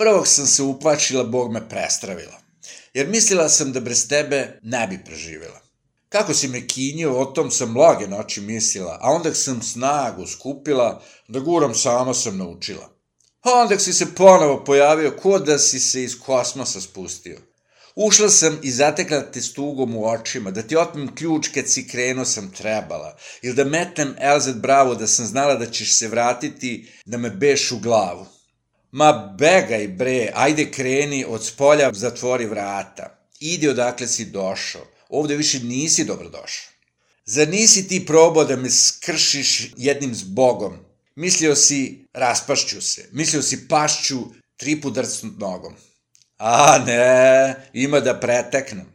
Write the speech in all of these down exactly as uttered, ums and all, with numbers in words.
Prvog sam se uplašila, Bog me prestravila, jer mislila sam da bez tebe ne bi preživjela. Kako si me kinio, o tom sam mnoge noći mislila, a onda sam snagu skupila, da guram sama sam naučila. A onda si se ponovo pojavio, ko da si se iz kosmosa spustio. Ušla sam i zatekla te s tugom u očima, da ti otmem ključ kad si krenuo sam trebala, ili da metnem Elzet Bravo da sam znala da ćeš se vratiti, da me beš u glavu. Ma begaj bre, ajde kreni, od spolja zatvori vrata. Idi odakle si došao, ovde više nisi dobrodošao. Zar nisi ti probao da me skršiš jednim zbogom? Mislio si, raspašću se, mislio si pašću tri put drcnut nogom. A ne, ima da preteknem.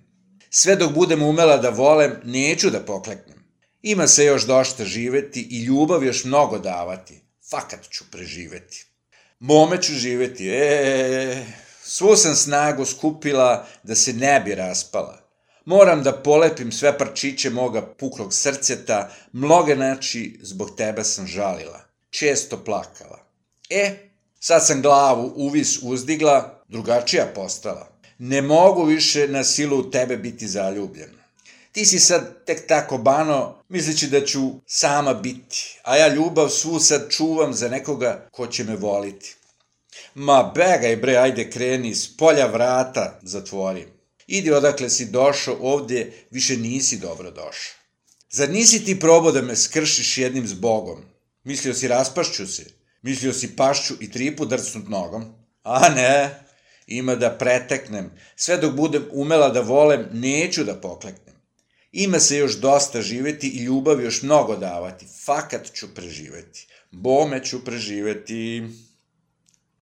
Sve dok budem umela da volem, neću da pokleknem. Ima se još došta živeti i ljubav još mnogo davati. Fakat ću preživeti. Mome ću živeti, eee, svu sam snagu skupila da se ne bi raspala. Moram da polepim sve parčiće moga puklog srceta, mnoge noći zbog tebe sam žalila, često plakala. E, sad sam glavu uvis uzdigla, drugačija postala. Ne mogu više na silu u tebe biti zaljubljen. Ti si sad tek tako bano, misleći da ću sama biti, a ja ljubav svu sad čuvam za nekoga ko će me voliti. Ma begaj bre, ajde kreni, s polja vrata zatvori. Idi odakle si došao, ovdje više nisi dobro došao. Zar nisi ti probao da me skršiš jednim zbogom? Mislio si raspašću se, mislio si pašću i tri put drcnut nogom? A ne, ima da preteknem, sve dok budem umela da volem, neću da pokleknem. Ima se još dosta živeti i ljubav još mnogo davati, fakat ću preživeti, bome ću preživeti.